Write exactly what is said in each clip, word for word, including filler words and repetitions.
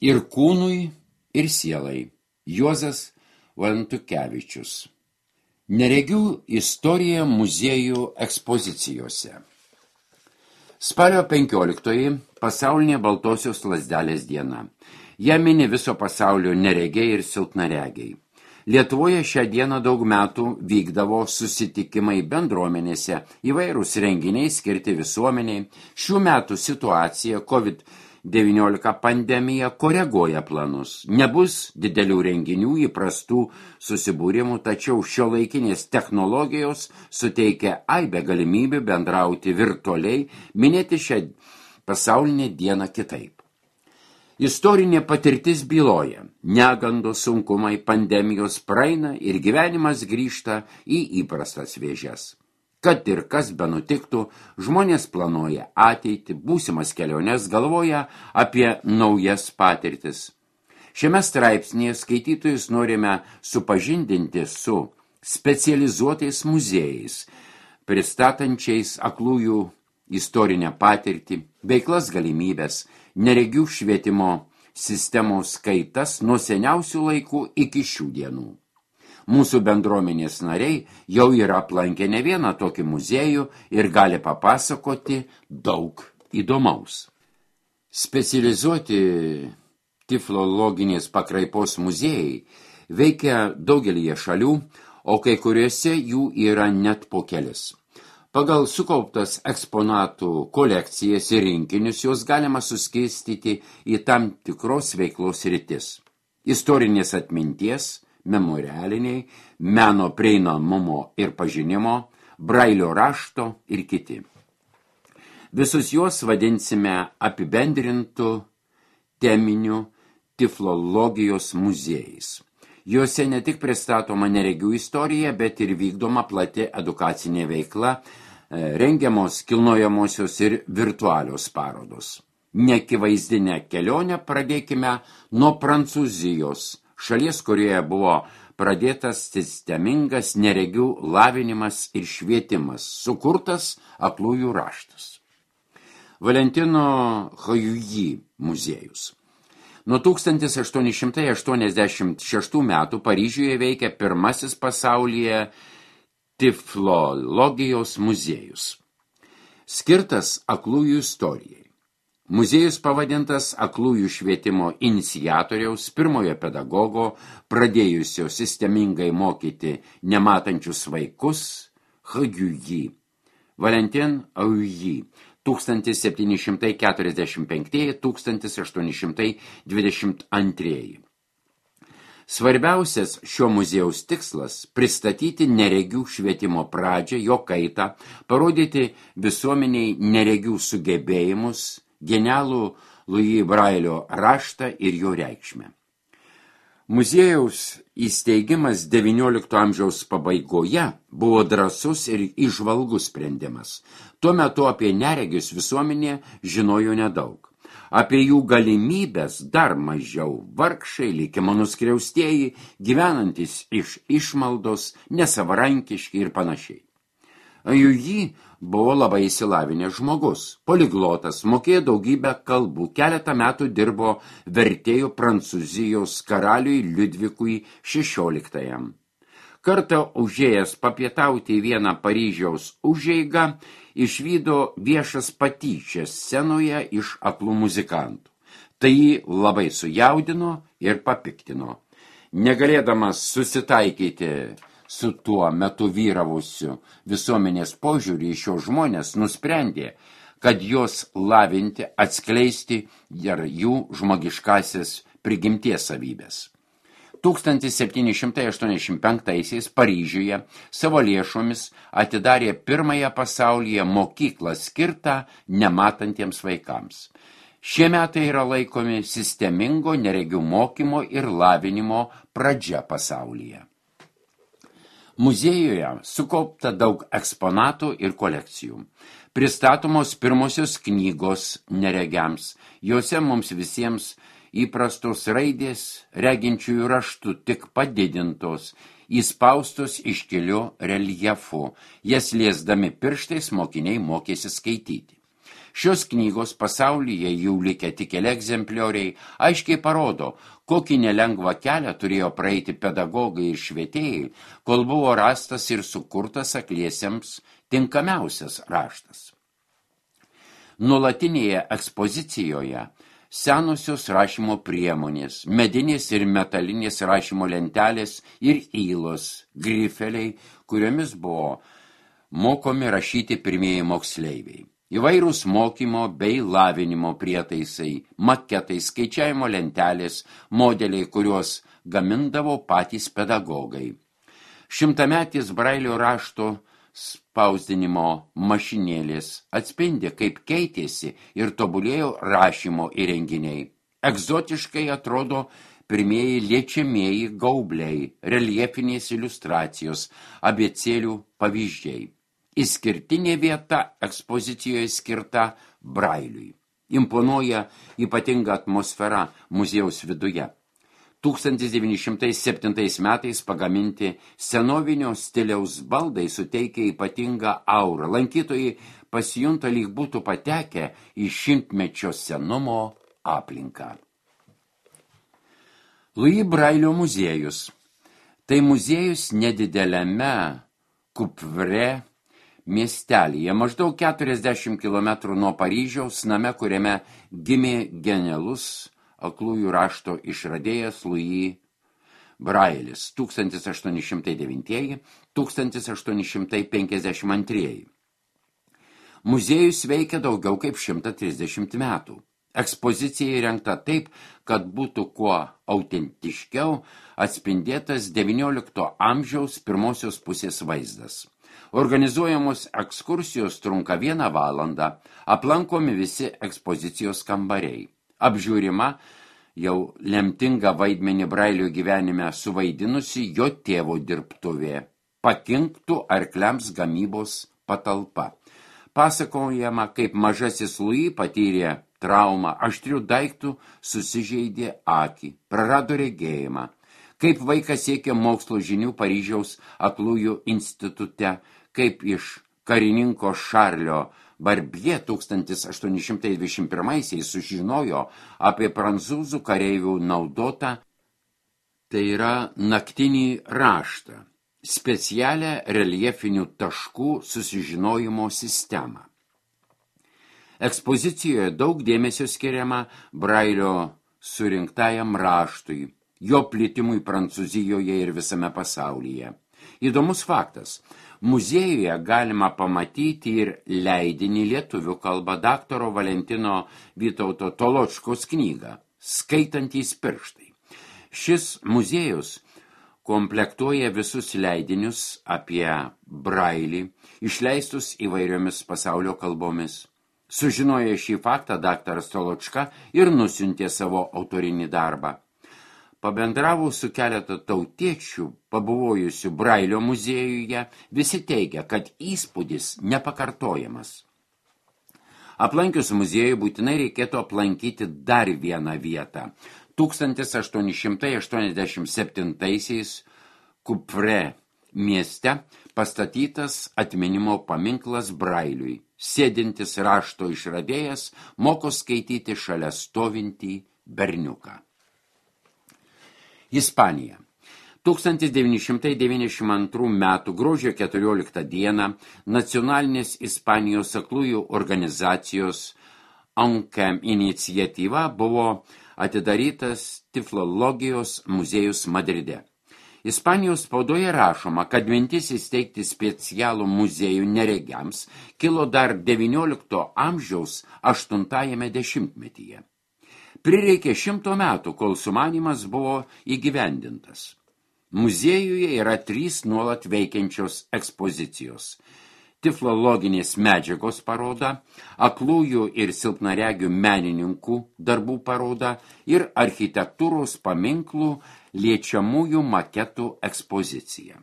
ir kūnui, ir sielai. Juozas Valentukevičius. Neregių istorija muziejų ekspozicijose. Spalio penkioliktoji pasaulinė baltosios lazdelės diena. Ją mini viso pasaulio neregiai ir silpnaregiai. Lietuvoje šią dieną daug metų vykdavo susitikimai bendruomenėse, įvairūs renginiai skirti visuomeniai. Šių metų situacija COVID devyniolika pandemija koreguoja planus. Nebus didelių renginių, įprastų susibūrimų, tačiau šiuolaikinės technologijos suteikia aibę galimybių bendrauti virtualiai, minėti šią pasaulinę dieną kitaip. Istorinė patirtis byloja, negandos, sunkumai, pandemijos praeina ir gyvenimas grįžta į įprastas vėžes. Kad ir kas benutiktų, žmonės planuoja ateitį, būsimas keliones, galvoja apie naujas patirtis. Šiame straipsnėje skaitytojus norime supažindinti su specializuotais muziejais, pristatančiais aklųjų istorinę patirtį, veiklas galimybės, neregių švietimo sistemos kaitas nuo seniausių laikų iki šių dienų. Mūsų bendruomenės nariai jau yra aplankę ne vieną tokį muziejų ir gali papasakoti daug įdomaus. Specializuoti tiflologinės pakraipos muziejai veikia daugelyje šalių, o kai kuriuose jų yra net po kelis. Pagal sukauptas eksponatų kolekcijas ir rinkinius jos galima suskirstyti į tam tikros veiklos sritis. Istorinės atminties, memorialiniai, meno prieinamumo ir pažinimo, brailio rašto ir kiti. Visus juos vadinsime apibendrintų teminių tiflologijos muziejais. Juose ne tik pristatoma neregių istorija, bet ir vykdoma plati edukacinė veikla, rengiamos kilnojamosios ir virtualios parodos. Neakivaizdinę kelionę pradėkime nuo Prancūzijos, šalies, kurioje buvo pradėtas sistemingas neregių lavinimas ir švietimas, sukurtas aklųjų raštas. Valentino Hajuji muziejus. Nuo tūkstantis aštuoni šimtai aštuoniasdešimt šeštų metų Paryžiuje veikia pirmasis pasaulyje tiflologijos muziejus, skirtas aklųjų istorijai. Muziejus pavadintas aklųjų švietimo iniciatoriaus, pirmojo pedagogo, pradėjusio sistemingai mokyti nematančius vaikus, Hajuji, Valentin Hajuji, tūkstantis septyni šimtai keturiasdešimt penktieji - tūkstantis aštuoni šimtai dvidešimt antrieji. Svarbiausias šio muziejaus tikslas – pristatyti neregių švietimo pradžią, jo kaitą, parodyti visuomeniai neregių sugebėjimus, genialų Louis Brailio raštą ir jo reikšmę. Muziejaus įsteigimas devyniolikto amžiaus pabaigoje buvo drąsus ir įžvalgus sprendimas. Tuo metu apie neregius visuomenė žinojo nedaug. Apie jų galimybės dar mažiau, vargšai, likimo nuskriaustieji, gyvenantis iš išmaldos, nesavarankiški ir panašiai. Hajuji buvo labai įsilavinęs žmogus, poliglotas, mokėjo daugybę kalbų, keletą metų dirbo vertėjų Prancūzijos karaliui Liudvikui šešioliktajam. Kartą užėjęs papietauti į vieną Paryžiaus užeigą, išvydo viešas patyčias scenoje iš aklų muzikantų. Tai jį labai sujaudino ir papiktino. Negalėdamas susitaikyti su tuo metu vyravusiu visuomenės požiūrį į šios žmonės, nusprendė, kad jos lavinti, atskleisti ir jų žmogiškasis prigimties savybės. tūkstantis septyni šimtai aštuoniasdešimt penktaisiais Paryžiuje savo lėšomis atidarė pirmąją pasaulyje mokyklą skirtą nematantiems vaikams. Šie metai yra laikomi sistemingo neregių mokymo ir lavinimo pradžia pasaulyje. Muziejuje sukaupta daug eksponatų ir kolekcijų. Pristatomos pirmosios knygos neregiams. Jose mums visiems įprastos raidės reginčiųjų raštų tik padidintos, įspaustos iškiliu reljefu. Jas liesdami pirštais mokiniai mokėsi skaityti. Šios knygos pasaulyje jau likę tik keli egzemplioriai aiškiai parodo, kokį nelengvą kelią turėjo praeiti pedagogai ir švietėjai, kol buvo rastas ir sukurtas akliesiems tinkamiausias raštas. Nuolatinėje ekspozicijoje senosios rašymo priemonės, medinės ir metalinės rašymo lentelės ir įlos, grifeliai, kuriomis buvo mokomi rašyti pirmieji moksleiviai. Įvairūs mokymo bei lavinimo prietaisai, maketai, skaičiavimo lentelės, modeliai, kuriuos gamindavo patys pedagogai. Šimtametis Brailio rašto spausdinimo mašinėlės atspindi, kaip keitėsi ir tobulėjo rašymo įrenginiai. Egzotiškai atrodo pirmieji liečiamieji gaubliai, reljefinės iliustracijos, abėcėlių pavyzdžiai. Išskirtinė vieta ekspozicijoje skirta Brailiui. Imponuoja ypatinga atmosfera muziejaus viduje. tūkstantis devyni šimtai septintais metais pagaminti senovinio stiliaus baldai suteikia ypatingą aurą. Lankytojai pasijunta, lyg būtų patekę į šimtmečio senumo aplinką. Louis Brailio muziejus. Tai muziejus nedideliame Kupvre miestelyje, maždaug keturiasdešimt kilometrų nuo Paryžiaus, name, kuriame gimė genialus aklųjų rašto išradėjas Louis Brailis tūkstantis aštuoni šimtai devyni - tūkstantis aštuoni šimtai penkiasdešimt antri. Muziejus veikia daugiau kaip šimtą trisdešimt metų. Ekspozicija įrengta taip, kad būtų kuo autentiškiau atspindėtas devyniolikto amžiaus pirmosios pusės vaizdas. Organizuojamos ekskursijos trunka vieną valandą, aplankomi visi ekspozicijos kambariai. Apžiūrima jau lemtingą vaidmenį Brailio gyvenime suvaidinusi jo tėvo dirbtuvė, pakinktų arkliams gamybos patalpa. Pasakojama, kaip mažasis Louis patyrė traumą, aštrių daiktų susižeidė akį, prarado regėjimą. Kaip vaikas siekė mokslo žinių Paryžiaus aklųjų institute, kaip iš karininko Šarlio Barbie tūkstantis aštuoni šimtai dvidešimt pirmaisiais sužinojo apie prancūzų kareivių naudotą, tai yra naktinį raštą, specialią reljefinių taškų susižinojimo sistemą. Ekspozicijoje daug dėmesio skiriama Brailio surinktajam raštui, jo plitimui Prancūzijoje ir visame pasaulyje. Įdomus faktas. Muziejuje galima pamatyti ir leidinį lietuvių kalba daktaro Valentino Vytauto Toločkos knygą Skaitantys pirštai. Šis muziejus komplektuoja visus leidinius apie Brailį, išleistus įvairiomis pasaulio kalbomis. Sužinoję šį faktą, daktaras Toločka ir nusiuntė savo autorinį darbą. Pabendravo su keletą tautiečių, pabuvojusių Brailio muziejuje, visi teigia, kad įspūdis nepakartojamas. Aplankius muziejų būtinai reikėtų aplankyti dar vieną vietą. tūkstantis aštuoni šimtai aštuoniasdešimt septintaisiais Kupvre mieste pastatytas atminimo paminklas Brailiui. Sėdintis rašto išradėjas moko skaityti šalia stovintį berniuką. Ispanija. tūkstantis devyni šimtai devyniasdešimt antrų metų gruodžio keturioliktą dieną nacionalinės Ispanijos aklųjų organizacijos ANCAM iniciatyva buvo atidarytas Tiflologijos muziejus Madride. Ispanijos spaudoje rašoma, kad mintis įsteigti specialų muziejų neregiams kilo dar devyniolikto amžiaus aštuntajame dešimtmetyje. Prireikė šimto metų, kol sumanymas buvo įgyvendintas. Muziejuje yra trys nuolat veikiančios ekspozicijos. Tiflologinės medžiagos paroda, aklųjų ir silpnaregių menininkų darbų paroda ir architektūros paminklų liečiamųjų maketų ekspozicija.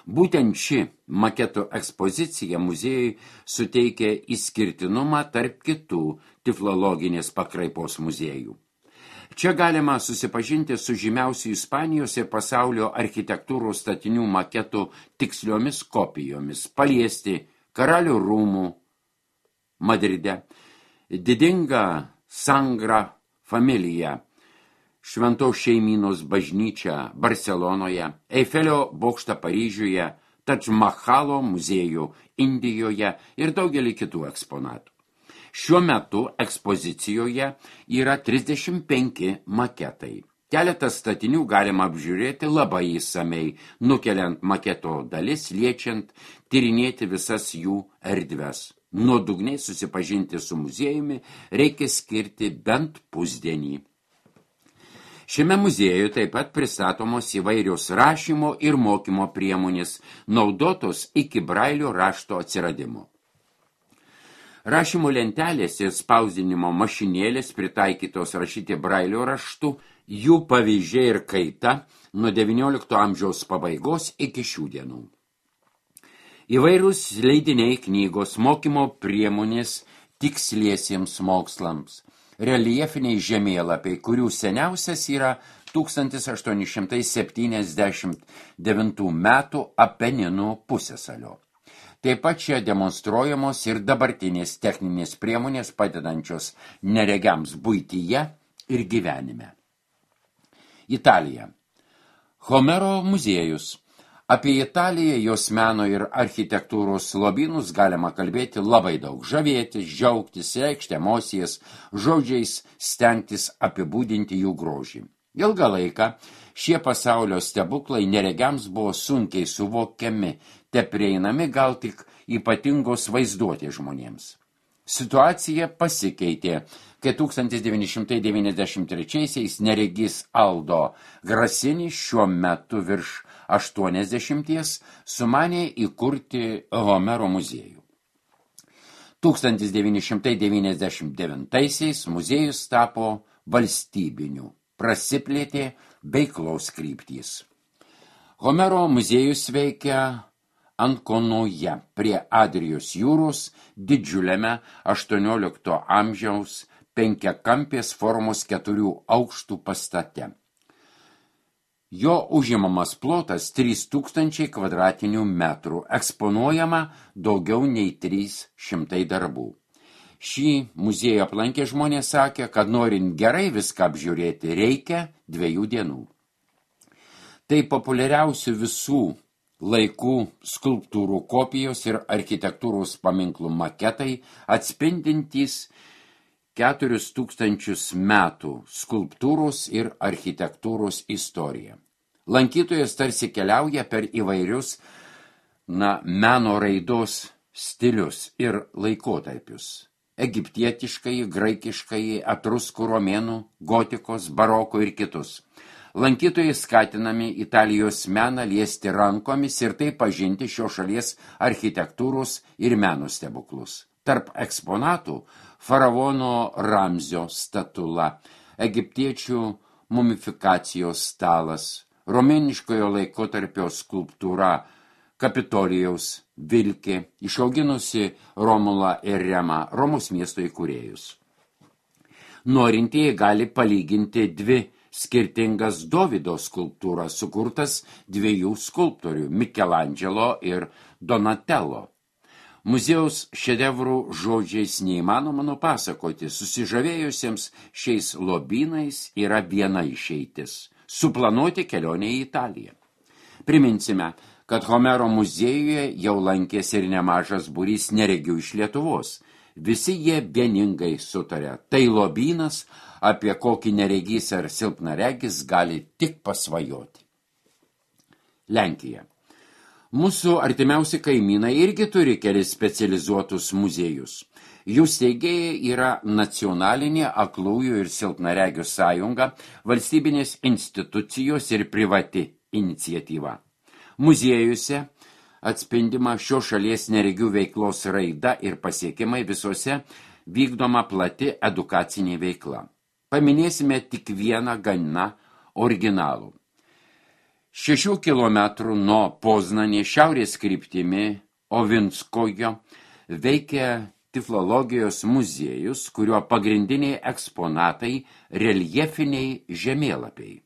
Būtent ši maketų ekspozicija muziejui suteikia išskirtinumą tarp kitų tiflologinės pakraipos muziejų. Čia galima susipažinti su žymiausių Ispanijos ir pasaulio architektūros statinių maketų tiksliomis kopijomis, paliesti Karalių rūmų Madride, didinga Sangra Familija, Šventos šeimynos bažnyčia Barcelonoje, Eifelio bokštą Paryžiuje, Tadž Mahalo muziejų Indijoje ir daugelį kitų eksponatų. Šiuo metu ekspozicijoje yra trisdešimt penki maketai. Keletą statinių galima apžiūrėti labai įsamei, nukeliant maketo dalis, liečiant, tyrinėti visas jų erdves. Nuodugniai susipažinti su muziejumi reikia skirti bent pusdienį. Šiame muziejuje taip pat pristatomos įvairios rašymo ir mokymo priemonės, naudotos iki Brailio rašto atsiradimo. Rašymo lentelės ir spausdinimo mašinėlės pritaikytos rašyti Brailio raštu, jų pavyzdžiai ir kaita nuo devyniolikto amžiaus pabaigos iki šių dienų. Įvairūs leidiniai, knygos, mokymo priemonės tiksliesiems mokslams, reljefiniai žemėlapiai, kurių seniausias yra tūkstantis aštuoni šimtai septyniasdešimt devintų metų Apeninų pusiasalio. Taip pat čia demonstruojamos ir dabartinės techninės priemonės padedančios neregiams buityje ir gyvenime. Italija. Homero muziejus. Apie Italiją, jos meno ir architektūros lobynus galima kalbėti labai daug, žavėtis, džiaugtis, reikšti emocijas, žodžiais stengtis apibūdinti jų grožį. Ilgą laiką šie pasaulio stebuklai neregiams buvo sunkiai suvokiami, te prieinami gal tik ypatingos vaizduotės žmonėms. Situacija pasikeitė, kai tūkstantis devyni šimtai devyniasdešimt trečiaisiais neregys Aldo Grasini šiuo metu virš aštuoniasdešimties sumanė įkurti Homero muziejų. tūkstantis devyni šimtai devyniasdešimt devintaisiais muziejus tapo valstybiniu, prasiplėtė veiklos kryptys. Homero muziejus veikia Ankonoje prie Adrijos jūros didžiuliame aštuoniolikto amžiaus penkiakampės formos keturių aukštų pastate. Jo užimamas plotas trys tūkstančiai kvadratinių metrų, eksponuojama daugiau nei trys šimtai darbų. Šį muziejų aplankę žmonės sakė, kad norint gerai viską apžiūrėti, reikia dviejų dienų. Tai populiariausių visų laikų skulptūrų kopijos ir architektūros paminklų maketai atspindintys keturis tūkstančius metų skulptūros ir architektūros istoriją. Lankytojas tarsi keliauja per įvairius na, meno raidos stilius ir laikotarpius. Egiptietiškai, graikiškai, etruskų, romėnų, gotikos, baroko ir kitus. Lankytojai skatinami Italijos meną liesti rankomis ir tai pažinti šios šalies architektūros ir meno stebuklus. Tarp eksponatų faraono Ramzio statula, egiptiečių mumifikacijos stalas, romėniškojo laikotarpio skulptūra Kapitolijaus vilkė, išauginusi Romulą ir Remą, Romos miesto įkūrėjus. Norintieji gali palyginti dvi skirtingas Dovydo skulptūras, sukurtas dviejų skulptorių Michelangelo ir Donatello. Muziejaus šedevrų žodžiais neįmanoma nupasakoti, susižavėjusiems šiais lobynais yra viena išeitis – suplanuoti kelionę į Italiją. Priminsime, kad Homero muziejuje jau lankėsi ir nemažas būrys neregių iš Lietuvos. Visi jie vieningai sutarė. Tai lobynas, apie kokį neregys ar silpnaregis gali tik pasvajoti. Lenkija. Mūsų artimiausi kaimynai irgi turi kelis specializuotus muziejus. Jų steigėjai yra Nacionalinė aklųjų ir silpnaregių sąjunga, valstybinės institucijos ir privati iniciatyva. Muziejuose atspindima šio šalies neregių veiklos raida ir pasiekimai visose vykdoma plati edukacinė veikla. Paminėsime tik vieną gana originalų. Šešių kilometrų nuo Poznanės šiaurės kryptimi Ovinskojo veikia tiflologijos muziejus, kurio pagrindiniai eksponatai reljefiniai žemėlapiai.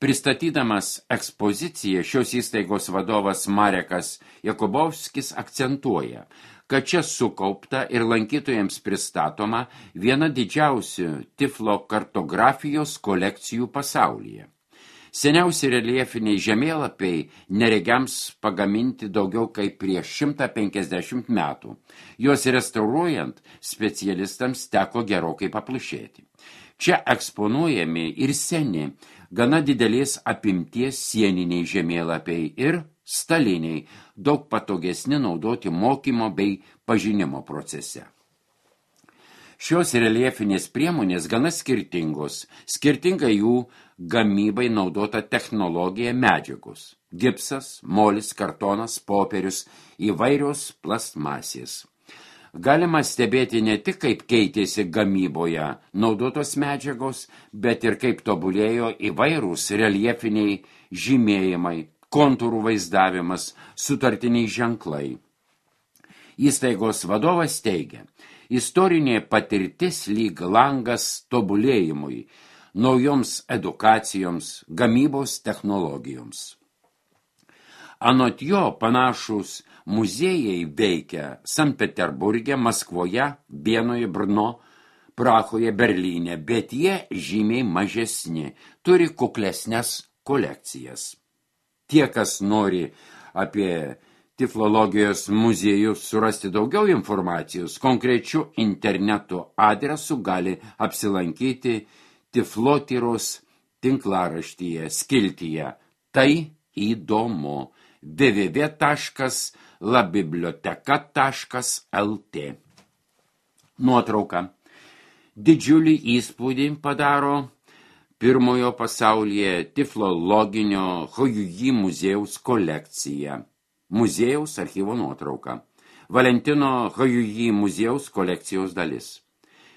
Pristatydamas ekspoziciją, šios įstaigos vadovas Marekas Jakubovskis akcentuoja, kad čia sukaupta ir lankytojams pristatoma viena didžiausių tiflo kartografijos kolekcijų pasaulyje. Seniausi reljefiniai žemėlapiai neregiams pagaminti daugiau kaip prieš šimtą penkiasdešimt metų. Juos restauruojant specialistams teko gerokai paplušėti. Čia eksponuojami ir seni, gana didelės apimties sieniniai žemėlapiai ir staliniai, daug patogesni naudoti mokymo bei pažinimo procese. Šios reljefinės priemonės gana skirtingos, skirtinga jų gamybai naudota technologija medžiagos – gipsas, molis, kartonas, popierius, įvairios plastmasės. Galima stebėti ne tik, kaip keitėsi gamyboje naudotos medžiagos, bet ir kaip tobulėjo įvairūs reljefiniai žymėjimai, kontūrų vaizdavimas, sutartiniai ženklai. Įstaigos vadovas teigia, istorinė patirtis lyg langas tobulėjimui, naujoms edukacijoms, gamybos technologijoms. Anot jo panašus muziejai veikia Sankt Peterburge, Maskvoje, Vienoje, Brno, Prahoje, Berlyne, bet jie žymiai mažesni, turi kuklesnes kolekcijas. Tie, kas nori apie tiflologijos muziejus surasti daugiau informacijos, konkrečių interneto adresų gali apsilankyti Tiflotyros tinklaraštyje skiltyje Tai įdomu w w w taškas la biblioteka taškas l t. Nuotrauka. Didžiulį įspūdį padaro pirmojo pasaulyje tiflologinio Hojui muziejaus kolekcija. Muziejaus archyvo nuotrauka. Valentino Hojui muziejaus kolekcijos dalis.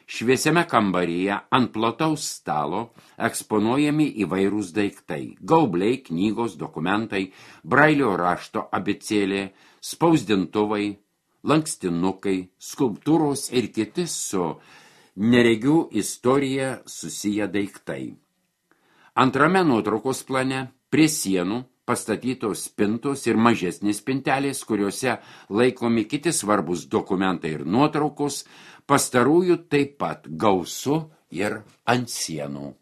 Šviesiame kambaryje ant plataus stalo eksponuojami įvairūs daiktai – gaubliai, knygos, dokumentai, brailio rašto abėcėlė, spausdintuvai, lankstinukai, skulptūros ir kiti su neregių istorija susiję daiktai. Antrame nuotraukos plane prie sienų pastatytos spintos ir mažesnės spintelės, kuriuose laikomi kiti svarbus dokumentai ir nuotraukos, pastarųjų taip pat gausu ir ant sienų.